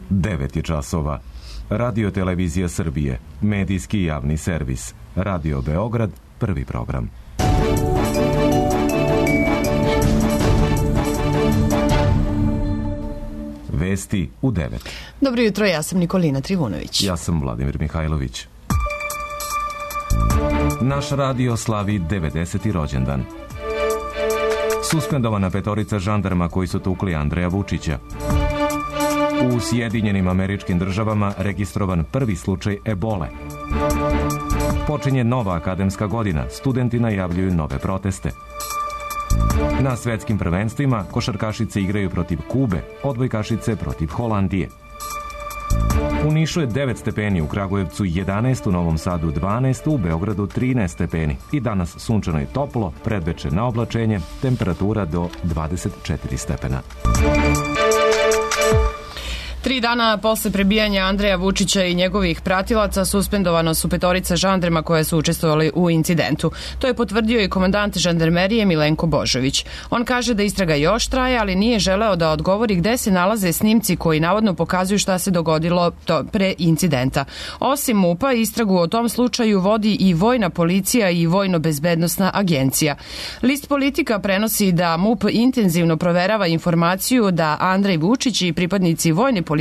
9 časova. Radio Televizija Srbije, medijski javni servis. Radio Beograd, prvi program. Vesti u 9. Dobro jutro, ja sam Nikolina Trivunović. Ja sam Vladimir Mihajlović. Naš radio slavi 90. rođendan. Suspendovana 5 žandarma koji su tukli Andreja Vučića. U Sjedinjenim Američkim Državama registrovan prvi slučaj ebole. Počinje nova akademska godina, studenti najavljuju nove proteste. Na svetskim prvenstvima košarkašice igraju protiv Kube, odbojkašice protiv Holandije. U Nišu je 9 stepeni, u Kragujevcu 11, u Novom Sadu 12, u Beogradu 13 stepeni. I danas sunčano i toplo, predveče na oblačenje, temperatura do 24 stepena. 3 dana posle prebijanja Andreja Vučića i njegovih pratilaca suspendovano su 5 žandarma koje su učestvovali u incidentu. To je potvrdio i komandant žandarmerije Milenko Božović. On kaže da istraga još traje, ali nije želeo da odgovori gde se nalaze snimci koji navodno pokazuju šta se dogodilo pre incidenta. Osim MUP-a, istragu o tom slučaju vodi i Vojna policija i Vojno-bezbednosna agencija. List Politika prenosi da MUP intenzivno proverava informaciju da Andrej Vučić i pripadnici Vojne policije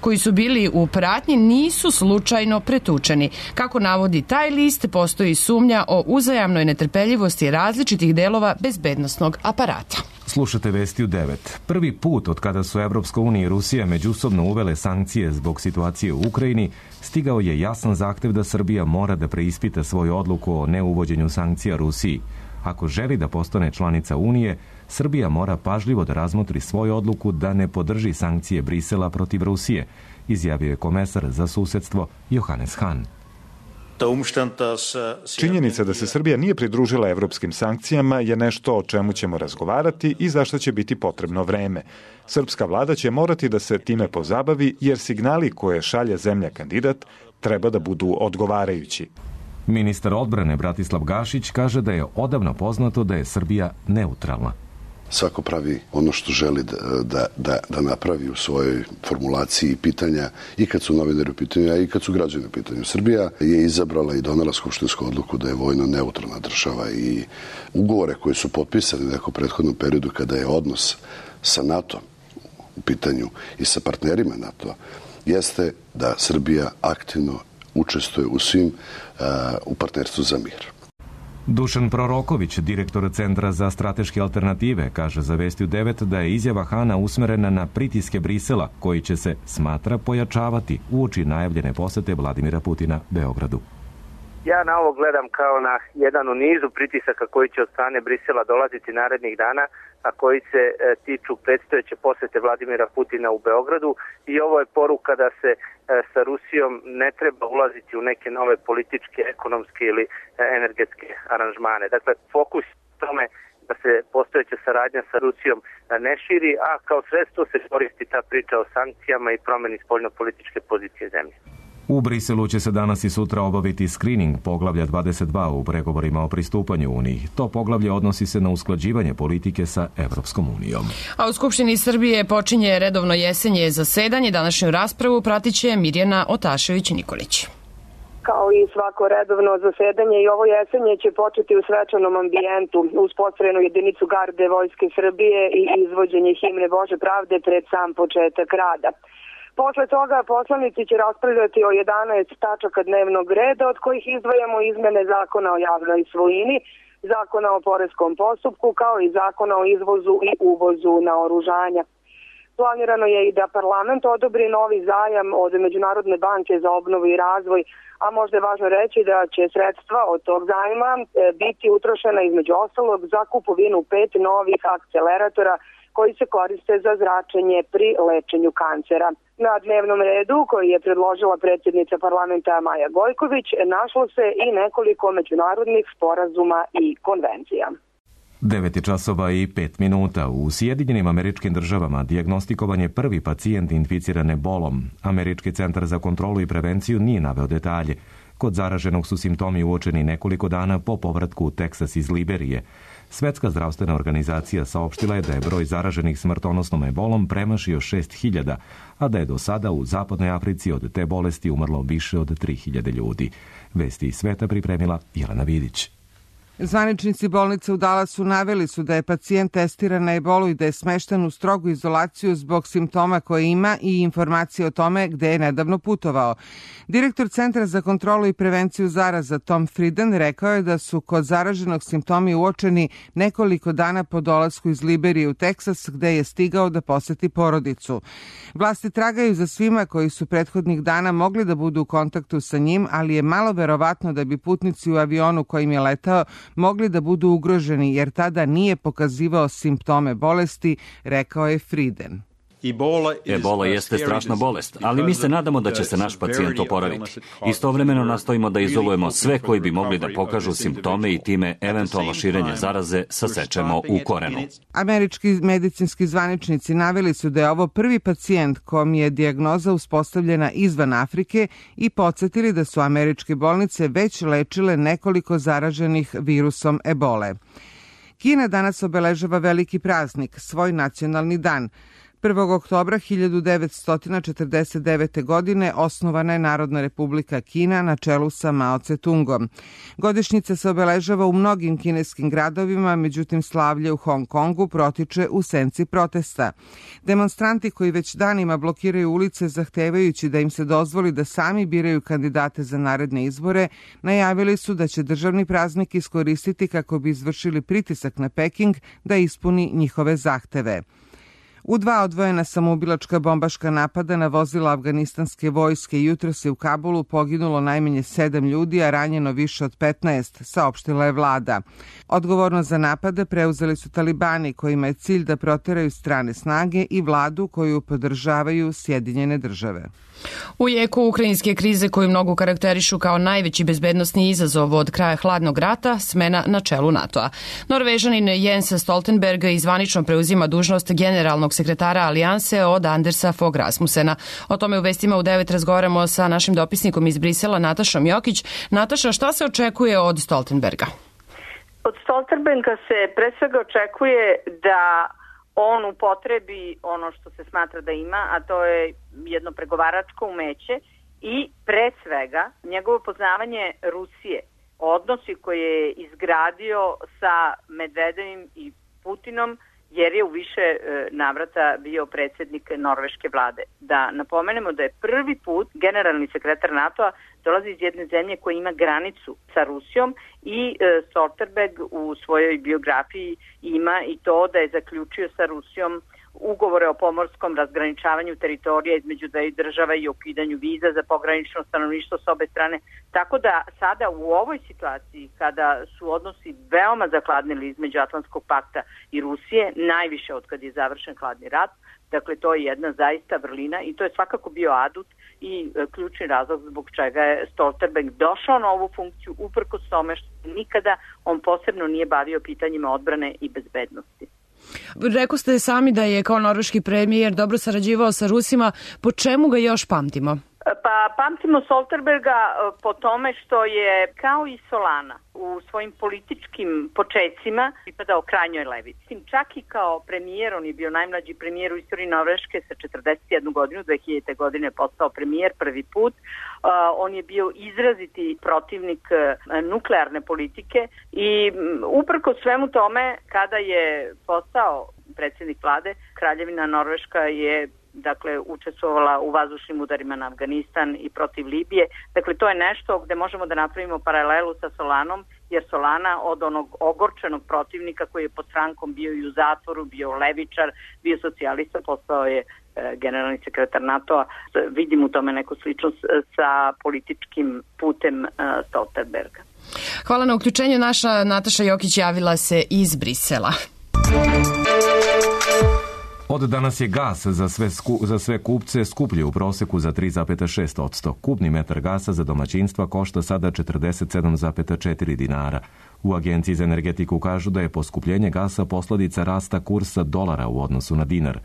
koji su bili u pratnji nisu slučajno pretučeni. Kako navodi taj list, postoji sumnja o uzajamnoj netrpeljivosti različitih delova bezbednosnog aparata. Slušate Vesti u 9. Prvi put od kada su Evropska unija i Rusija međusobno uvele sankcije zbog situacije u Ukrajini, stigao je jasan zahtev da Srbija mora da preispita svoju odluku o neuvođenju sankcija Rusiji. Ako želi da postane članica Unije, Srbija mora pažljivo da razmotri svoju odluku da ne podrži sankcije Brisela protiv Rusije, izjavio je komesar za susedstvo Johannes Hahn. Činjenica da se Srbija nije pridružila evropskim sankcijama je nešto o čemu ćemo razgovarati i za što će biti potrebno vreme. Srpska vlada će morati da se time pozabavi jer signali koje šalje zemlja kandidat treba da budu odgovarajući. Ministar odbrane Bratislav Gašić kaže da je odavno poznato da je Srbija neutralna. Svako pravi ono što želi da napravi u svojoj formulaciji pitanja i kad su novinari u pitanju, a i kad su građani u pitanju. Srbija je izabrala i donela skupštinsku odluku da je vojno neutralna država i ugovore koji su potpisani u nekom prethodnom periodu kada je odnos sa NATO u pitanju i sa partnerima NATO jeste da Srbija aktivno učestvuje u svim u partnerstvu za mir. Dušan Proroković, direktor Centra za strateške alternative, kaže za Vesti u 9 da je izjava Hana usmerena na pritiske Brisela, koji će se, smatra, pojačavati uoči najavljene posete Vladimira Putina Beogradu. Ja na ovo gledam kao na jedan u nizu pritisaka koji će od strane Brisela dolaziti narednih dana, a koji se tiču predstojeće posete Vladimira Putina u Beogradu i ovo je poruka da se sa Rusijom ne treba ulaziti u neke nove političke, ekonomske ili energetske aranžmane. Dakle, fokus tome da se postojeća saradnja sa Rusijom ne širi, a kao sredstvo se koristi ta priča o sankcijama i promeni spoljnopolitičke pozicije zemlje. U Briselu će se danas i sutra obaviti skrining poglavlja 22 u pregovorima o pristupanju Uniji. To poglavlje odnosi se na usklađivanje politike sa Evropskom unijom. A u Skupštini Srbije počinje redovno jesenje zasedanje. Današnju raspravu pratit će Mirjana Otašević-Nikolić. Kao i svako redovno zasedanje i ovo jesenje će početi u svečanom ambijentu uz postrojenu jedinicu garde Vojske Srbije i izvođenje himne Bože pravde pred sam početak rada. Posle toga poslanici će raspravljati o 11 tačaka dnevnog reda, od kojih izdvajamo izmene zakona o javnoj svojini, zakona o poreskom postupku, kao i zakona o izvozu i uvozu naoružanja. Planirano je i da parlament odobri novi zajam od Međunarodne banke za obnovu i razvoj, a možda je važno reći da će sredstva od tog zajma biti utrošena između ostalog za kupovinu 5 novih akceleratora koji se koriste za zračenje pri lečenju kancera. Na dnevnom redu, koji je predložila predsjednica parlamenta Maja Gojković, našlo se i nekoliko međunarodnih sporazuma i konvencija. 9 časova i 5 minuta. U Sjedinjenim Američkim Državama dijagnostikovan je prvi pacijent inficiran ebolom. Američki centar za kontrolu i prevenciju nije naveo detalje. Kod zaraženog su simptomi uočeni nekoliko dana po povratku u Teksas iz Liberije. Svetska zdravstvena organizacija saopštila je da je broj zaraženih smrtonosnom ebolom premašio 6.000, a da je do sada u zapadnoj Africi od te bolesti umrlo više od 3.000 ljudi. Vesti iz sveta pripremila Jelena Vidić. Zvaničnici bolnice u Dallasu naveli su da je pacijent testiran na ebolu i da je smešten u strogu izolaciju zbog simptoma koje ima i informacije o tome gde je nedavno putovao. Direktor Centra za kontrolu i prevenciju zaraza Tom Frieden rekao je da su kod zaraženog simptomi uočeni nekoliko dana po dolasku iz Liberije u Teksas, gde je stigao da poseti porodicu. Vlasti tragaju za svima koji su prethodnih dana mogli da budu u kontaktu sa njim, ali je malo verovatno da bi putnici u avionu kojim je letao mogli da budu ugroženi, jer tada nije pokazivao simptome bolesti, rekao je Frieden. Ebola jeste strašna bolest, ali mi se nadamo da će se naš pacijent oporaviti. Istovremeno nastojimo da izolujemo sve koji bi mogli da pokažu simptome i time eventualno širenje zaraze sasečemo u korenu. Američki medicinski zvaničnici naveli su da je ovo prvi pacijent kom je dijagnoza uspostavljena izvan Afrike i podsjetili da su američke bolnice već lečile nekoliko zaraženih virusom ebole. Kina danas obeležava veliki praznik, svoj nacionalni dan. 1. oktobra 1949. godine osnovana je Narodna republika Kina na čelu sa Mao Tse-tungom. Godišnjica se obeležava u mnogim kineskim gradovima, međutim slavlje u Hong Kongu protiče u senci protesta. Demonstranti koji već danima blokiraju ulice zahtevajući da im se dozvoli da sami biraju kandidate za naredne izbore, najavili su da će državni praznik iskoristiti kako bi izvršili pritisak na Peking da ispuni njihove zahteve. U 2 odvojena samoubilačka bombaška napada na vozila afganistanske vojske jutros je u Kabulu poginulo najmanje 7 ljudi, a ranjeno više od 15, saopštila je vlada. Odgovornost za napade preuzeli su talibani, kojima je cilj da proteraju strane snage i vladu koju podržavaju Sjedinjene države. U jeku ukrajinske krize koju mnogo karakterišu kao najveći bezbednosni izazov od kraja hladnog rata, smena na čelu NATO-a. Norvežanin Jens Stoltenberg zvanično preuzima dužnost generalnog sekretara Alijanse od Andersa Fogh Rasmussena. O tome u vestima u 9 razgovaramo sa našim dopisnikom iz Brisela, Natašom Jokić. Nataša, šta se očekuje od Stoltenberga? Od Stoltenberga se pre svega očekuje da on upotrebi ono što se smatra da ima, a to je jedno pregovaračko umeće i pre svega njegovo poznavanje Rusije, odnosi koje je izgradio sa Medvedevim i Putinom, jer je u više navrata bio predsjednik norveške vlade. Da napomenemo da je prvi put generalni sekretar NATO-a dolazi iz jedne zemlje koja ima granicu sa Rusijom i Stoltenberg u svojoj biografiji ima i to da je zaključio sa Rusijom ugovore o pomorskom razgraničavanju teritorija između dveju država i ukidanju viza za pogranično stanovništvo s obe strane. Tako da sada u ovoj situaciji, kada su odnosi veoma zakladnili između Atlantskog pakta i Rusije, najviše od kad je završen hladni rat, dakle to je jedna zaista vrlina i to je svakako bio adut i ključni razlog zbog čega je Stoltenberg došao na ovu funkciju, uprkos tome što nikada on posebno nije bavio pitanjima odbrane i bezbednosti. Rekao ste sami da je kao norveški premijer dobro sarađivao sa Rusima. Po čemu ga još pamtimo? Pa pamtimo Stoltenberga po tome što je kao i Solana u svojim političkim počecima pripadao krajnjoj levici. Čak i kao premijer, on je bio najmlađi premijer u istoriji Norveške sa 41 godinu, 2000. godine je postao premijer prvi put. On je bio izraziti protivnik nuklearne politike i uprkos svemu tome, kada je postao predsjednik vlade, Kraljevina Norveška je učestvovala u vazdušnim udarima na Afganistan i protiv Libije. Dakle, to je nešto gde možemo da napravimo paralelu sa Solanom, jer Solana od onog ogorčenog protivnika koji je pod Frankom bio i u zatvoru, bio levičar, bio socijalista, postao je generalni sekretar NATO-a. Vidim u tome neku sličnost sa političkim putem Stoltenberga. Hvala na uključenju. Naša Nataša Jokić javila se iz Brisela. Od danas je gas za sve kupce skuplji u proseku za 3,6%. Kubni metar gasa za domaćinstva košta sada 47,4 dinara. U Agenciji za energetiku kažu da je poskupljenje gasa posledica rasta kursa dolara u odnosu na dinar.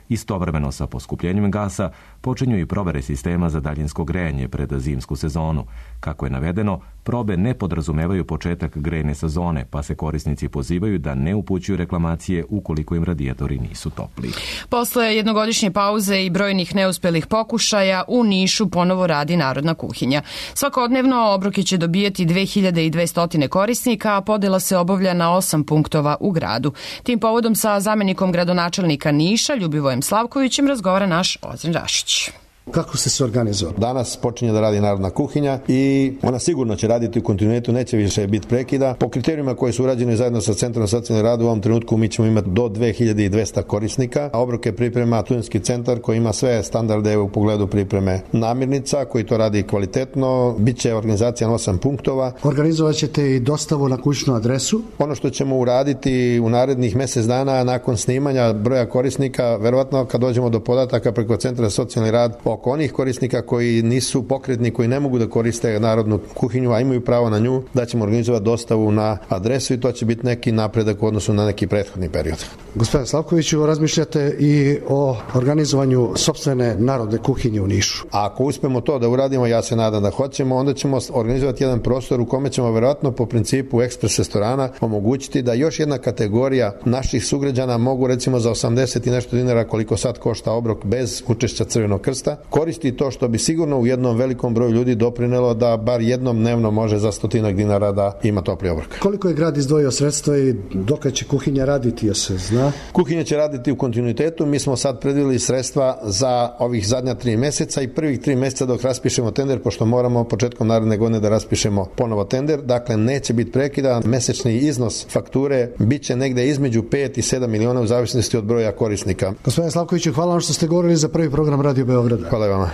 Istovremeno sa poskupljenjem gasa počinju i provere sistema za daljinsko grejanje pred zimsku sezonu. Kako je navedeno, probe ne podrazumevaju početak grejne sezone, pa se korisnici pozivaju da ne upućuju reklamacije ukoliko im radijatori nisu topli. Posle jednogodišnje pauze i brojnih neuspelih pokušaja, u Nišu ponovo radi Narodna kuhinja. Svakodnevno obroke će dobijeti 2200 korisnika, a podela se obavlja na 8 punktova u gradu. Tim povodom sa zamenikom gradonačelnika Niša, Ljubivojem Slavkovićem, razgovara naš Ozren Rašić. Kako ste se organizovali? Danas počinje da radi Narodna kuhinja i ona sigurno će raditi u kontinuitetu, neće više biti prekida. Po kriterijima koji su urađeni zajedno sa Centrom socijalnog rada u ovom trenutku mi ćemo imati do 2200 korisnika. Obroke priprema Studentski centar koji ima sve standarde u pogledu pripreme namirnica, koji to radi kvalitetno. Biće organizacija na 8 punktova. Organizovat ćete i dostavu na kućnu adresu? Ono što ćemo uraditi u narednih mjesec dana nakon snimanja broja korisnika, verovatno kad dođemo do podataka preko Centra socijalni rad oko onih korisnika koji nisu pokretni, koji ne mogu da koriste Narodnu kuhinju, a imaju pravo na nju, da ćemo organizovati dostavu na adresu i to će biti neki napredak u odnosu na neki prethodni period. Gospodine Slavkoviću, razmišljate i o organizovanju sopstvene Narodne kuhinje u Nišu? Ako uspemo to da uradimo, ja se nadam da hoćemo, onda ćemo organizovati jedan prostor u kome ćemo verovatno po principu ekspres restorana omogućiti da još jedna kategorija naših sugrađana mogu recimo za 80 i nešto dinara koliko sad košta obrok bez učešća Crvenog krsta, koristi to što bi sigurno u jednom velikom broju ljudi doprinelo da bar jednom dnevno može za 100 dinara da ima topli obrok. Koliko je grad izdvojio sredstva i dokad će kuhinja raditi, se zna? Kuhinja će raditi u kontinuitetu. Mi smo sad predvidjeli sredstva za ovih zadnja 3 mjeseca i prvih 3 mjeseca dok raspišemo tender, pošto moramo početkom naredne godine da raspišemo ponovo tender. Dakle, neće biti prekida. Mesečni iznos fakture bit će negde između 5 i 7 miliona u zavisnosti od broja korisnika. Gospodine Slavkoviću, hvala vam što ste govorili za prvi program Radio Beograda. Hvala vama.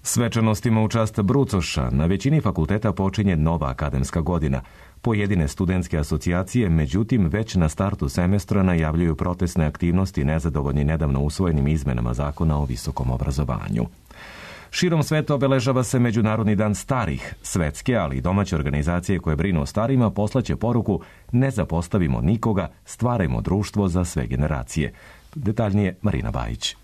Svečanostima u čast brucoša na većini fakulteta počinje nova akademska godina. Pojedine studentske asocijacije, međutim, već na startu semestra najavljuju protestne aktivnosti nezadovoljni nedavno usvojenim izmenama zakona o visokom obrazovanju. Širom sveta obeležava se Međunarodni dan starih. Svetske, ali i domaće organizacije koje brinu o starima poslaće poruku ne zapostavimo nikoga, stvarajmo društvo za sve generacije. Detaljnije Marina Bajić.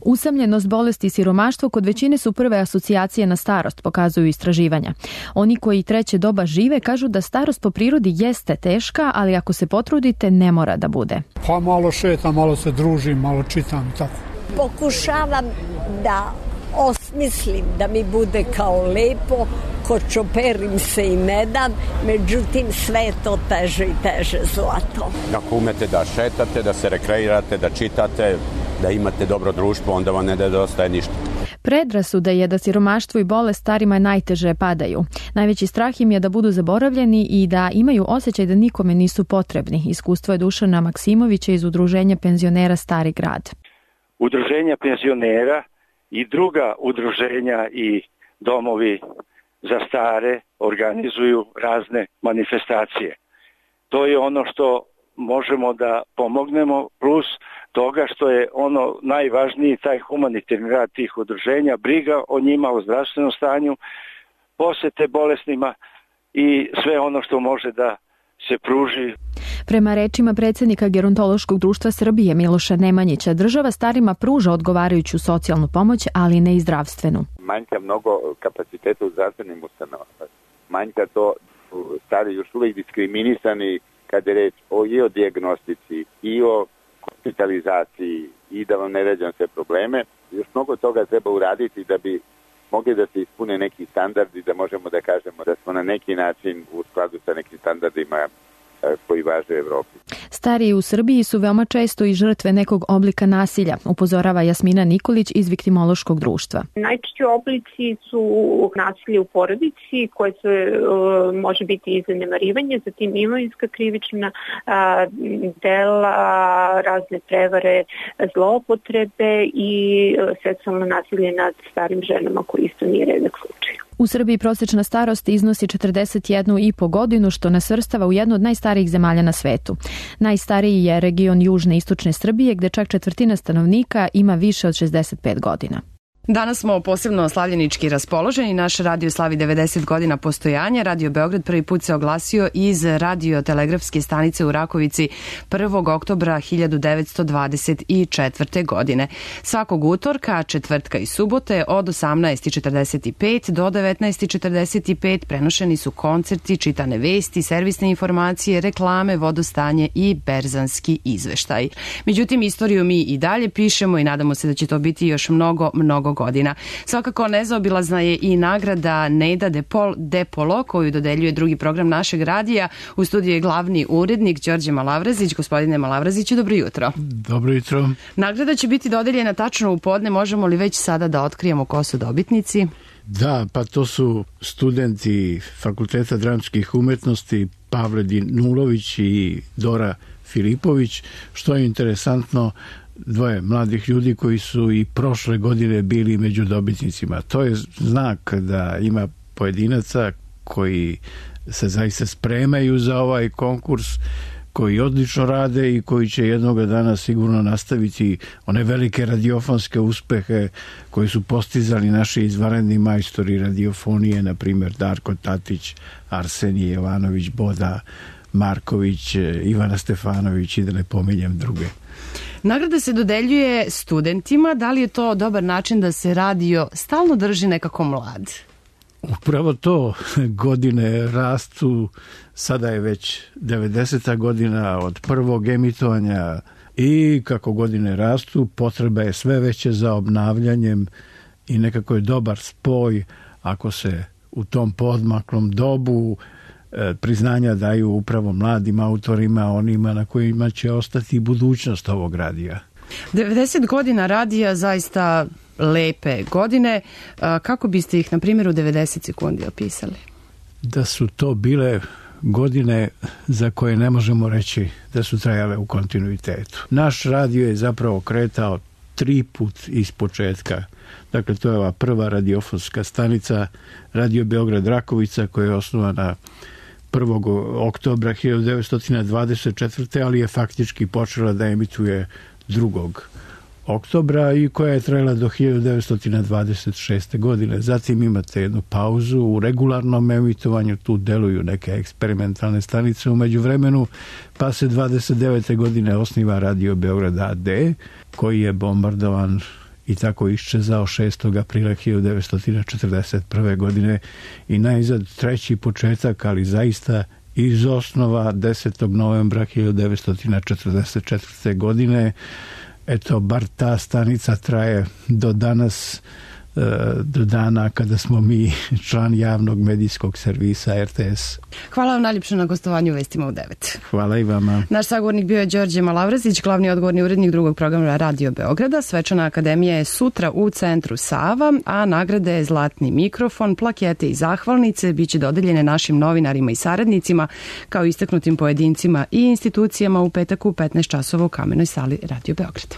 Usamljenost, bolest i siromaštvo kod većine su prve asocijacije na starost, pokazuju istraživanja. Oni koji treće doba žive kažu da starost po prirodi jeste teška, ali ako se potrudite ne mora da bude. Pa malo šetam, malo se družim, malo čitam i tako. Pokušavam da osmislim da mi bude kao lepo, kočoperim se i ne dam, međutim sve je to teže i teže zlato. Ako umete da šetate, da se rekreirate, da čitate, da imate dobro društvo, onda vam ne nedostaje ništa. Predrasuda je da siromaštvo i bolest starima najteže padaju. Najveći strah im je da budu zaboravljeni i da imaju osjećaj da nikome nisu potrebni. Iskustvo je Dušana Maksimovića iz Udruženja penzionera Stari grad. Udruženja penzionera i druga udruženja i domovi za stare organizuju razne manifestacije. To je ono što možemo da pomognemo, plus toga što je ono najvažniji, taj humanitarni rad tih udruženja, briga o njima, o zdravstvenom stanju, posete bolesnima i sve ono što može da se pruži. Prema rečima predsjednika Gerontološkog društva Srbije Miloša Nemanjića, država starima pruža odgovarajuću socijalnu pomoć, ali ne i zdravstvenu. Manjka mnogo kapaciteta u zdravstvenim ustanovama. Manjka to, stari još uvijek diskriminisani kad je reč i o dijagnostici i o hospitalizaciji i da vam ne ređam sve probleme. Još mnogo toga treba uraditi da bi mogli da se ispune neki standardi, da možemo da kažemo da smo na neki način u skladu sa nekim standardima koji važe u Evropi. Stariji u Srbiji su veoma često i žrtve nekog oblika nasilja, upozorava Jasmina Nikolić iz Viktimološkog društva. Najčešći oblici su nasilje u porodici, koje se može biti i zanemarivanje, zatim imovinska krivična dela, razne prevare, zloupotrebe i seksualno nasilje nad starim ženama, koji isto nije redak slučaj. U Srbiji prosječna starost iznosi 41,5 godinu, što nas svrstava u jednu od najstarijih zemalja na svetu. Najstariji je region južne i istočne Srbije, gde čak 1/4 stanovnika ima više od 65 godina. Danas smo posebno slavljenički raspoloženi. Naš radio slavi 90 godina postojanja. Radio Beograd prvi put se oglasio iz radiotelegrafske stanice u Rakovici 1. oktobra 1924. godine. Svakog utorka, četvrtka i subote od 18:45 do 19:45 prenošeni su koncerti, čitane vesti, servisne informacije, reklame, vodostanje i berzanski izveštaj. Međutim, istoriju mi i dalje pišemo i nadamo se da će to biti još mnogo godina. Svakako nezaobilazna je i nagrada Neda Depolo koju dodeljuje drugi program našeg radija. U studiju je glavni urednik Đorđe Malavrazić. Gospodine Malavraziću, dobro jutro. Dobro jutro. Nagrada će biti dodeljena tačno u podne. Možemo li već sada da otkrijemo ko su dobitnici? Da, pa to su studenti Fakulteta dramskih umetnosti Pavle Dinulović i Dora Filipović. Što je interesantno, dvoje mladih ljudi koji su i prošle godine bili među dobitnicima. To je znak da ima pojedinaca koji se zaista spremaju za ovaj konkurs, koji odlično rade i koji će jednog dana sigurno nastaviti one velike radiofonske uspehe koji su postizali naši izvanredni majstori radiofonije, na primjer Darko Tatić, Arsenije Jovanović, Boda Marković, Ivana Stefanović i da ne pominjem druge. Nagrada se dodeljuje studentima. Da li je to dobar način da se radio stalno drži nekako mlad? Upravo to, godine rastu, sada je već 90. godina od prvog emitovanja i kako godine rastu, potreba je sve veće za obnavljanjem i nekako je dobar spoj ako se u tom poodmaklom dobu priznanja daju upravo mladim autorima, onima na kojima će ostati budućnost ovog radija. 90 godina radija, zaista lepe godine. Kako biste ih, na primjer, u 90 sekundi opisali? Da su to bile godine za koje ne možemo reći da su trajale u kontinuitetu. Naš radio je zapravo kretao 3 put iz početka. Dakle, to je ova prva radiofonska stanica Radio Beograd Rakovica koja je osnovana 1. oktobra 1924. ali je faktički počela da emituje 2. oktobra i koja je trajala do 1926. godine. Zatim imate jednu pauzu u regularnom emitovanju, tu deluju neke eksperimentalne stanice u međuvremenu, pa se 29. godine osniva Radio Beograd AD, koji je bombardovan i tako iščezao 6. aprila 1941. godine i najzad treći početak, ali zaista iz osnova 10. novembra 1944. godine. Eto, bar ta stanica traje do danas, do dana kada smo mi član javnog medijskog servisa RTS. Hvala vam najljepše na gostovanju u Vestima u 9. Hvala i vama. Naš sagovornik bio je Đorđe Malavrazić, glavni odgovorni urednik drugog programa Radio Beograda. Svečana akademija je sutra u centru Sava, a nagrade je Zlatni mikrofon, plakete i zahvalnice biće dodeljene našim novinarima i saradnicima, kao istaknutim pojedincima i institucijama u petak u 15 časova u Kamenoj sali Radio Beograda.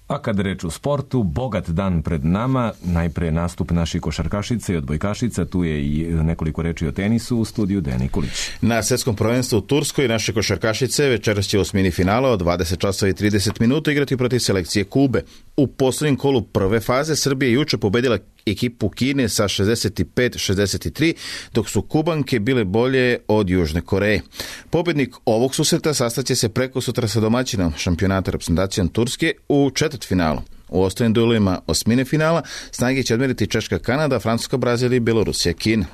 A kad reč u sportu, bogat dan pred nama, najpre nastup naših košarkašica i odbojkašica, tu je i nekoliko reči o tenisu u studiju Dejan Nikolić. Na svetskom prvenstvu u Turskoj naše košarkašice večeras će u osmini finala od 20 časova i 30 minuta igrati protiv selekcije Kube. U poslednjem kolu prve faze Srbija juče pobedila ekipu Kine sa 65-63, dok su Kubanke bile bolje od Južne Koreje. Pobednik ovog susreta sastaće se preko sutra sa domaćinom šampionata reprezentacijom Turske u četvrtfinalu. U ostalim duelima osmine finala snage će odmeriti Češka Kanada, Francuska Brazil i Belorusija Kina.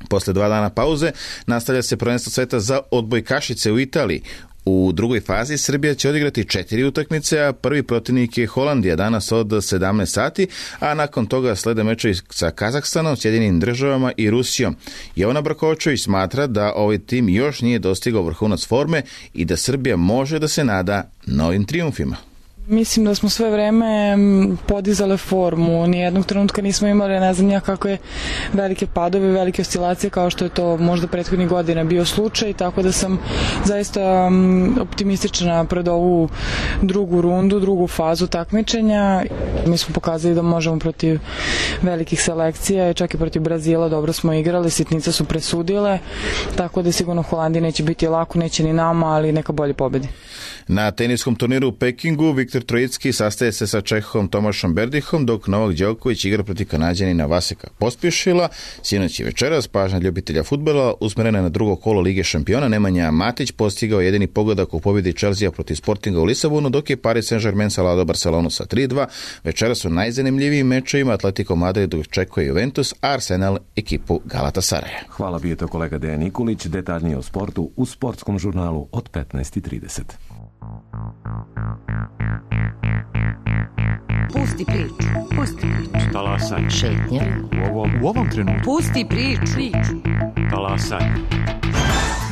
Posle 2 dana pauze nastavlja se prvenstvo sveta za odbojkašice u Italiji. U drugoj fazi Srbija će odigrati 4 utakmice, a prvi protivnik je Holandija danas od 17 sati, a nakon toga slede mečevi sa Kazahstanom, Sjedinim Državama i Rusijom. Jovana Brkočević smatra da ovaj tim još nije dostigao vrhunac forme i da Srbija može da se nada novim trijumfima. Mislim da smo sve vreme podizale formu, nijednog trenutka nismo imali, ne znam ja kakve velike padove, velike oscilacije kao što je to možda prethodnih godina bio slučaj, tako da sam zaista optimistična pred ovu drugu rundu, drugu fazu takmičenja. Mi smo pokazali da možemo protiv velikih selekcija, čak i protiv Brazila dobro smo igrali, sitnice su presudile, tako da sigurno Holandiji neće biti lako, neće ni nama, ali neka bolje pobedi. Na teniskom turniru u Pekingu Viktor Viktor Trojicki sastaje se sa Čehom Tomašom Berdihom, dok Novak Đoković igra protiv Kanađanina Vaseka Pospišila. Sinoć i večeras pažnja ljubitelja fudbala usmerena na drugo kolo Lige šampiona. Nemanja Matić postigao jedini pogodak u pobjedi Chelsea protiv Sportinga u Lisabonu, dok je Paris Saint-Germain savladao Barcelonu sa 3-2. Večeras su najzanimljivijim mečevima Atletico Madrid očekuje Juventus, a Arsenal ekipu Galatasaraja. Hvala, bio to kolega Dejan Nikulić. Detaljnije o sportu u Sportskom žurnalu od 15:30. Pusti priču. Pusti priču. Talasaj. Šetnja. U ovom trenutku. Pusti priču. Talasaj.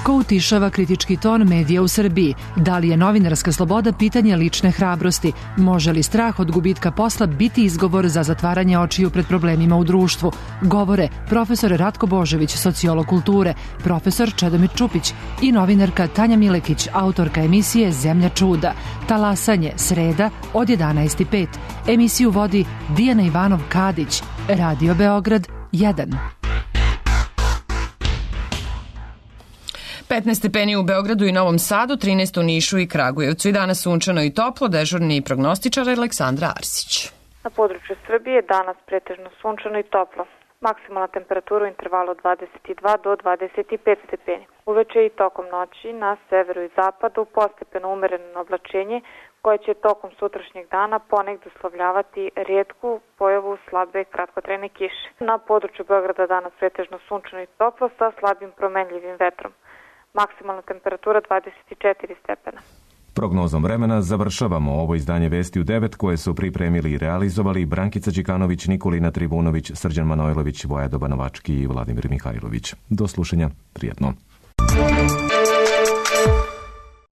Ko utišava kritički ton medija u Srbiji? Da li je novinarska sloboda pitanje lične hrabrosti? Može li strah od gubitka posla biti izgovor za zatvaranje očiju pred problemima u društvu? Govore profesor Ratko Božović, sociolog kulture, profesor Čedomir Čupić i novinarka Tanja Milekić, autorka emisije Zemlja čuda. Talasanje, sreda od 11:05. Emisiju vodi Dijana Ivanov-Kadić. Radio Beograd 1. 15 stepeni u Beogradu i Novom Sadu, 13 u Nišu i Kragujevcu. I danas sunčano i toplo, dežurni prognostičar Aleksandra Arsić. Na području Srbije danas pretežno sunčano i toplo. Maksimalna temperatura u intervalu od 22 do 25 stepeni. Uveče i tokom noći na severu i zapadu postepeno umereno oblačenje koje će tokom sutrašnjeg dana ponegdje uslovljavati rijetku pojavu slabe kratkotrajne kiše. Na području Beograda danas pretežno sunčano i toplo sa slabim promenljivim vetrom. Maksimalna temperatura 24 stepena. Prognozom vremena završavamo ovo izdanje Vesti u 9 koje su pripremili i realizovali Brankica Đikanović, Nikolina Trivunović, Srđan Manojlović, Vojado Banovački i Vladimir Mihajlović. Do slušanja, prijetno.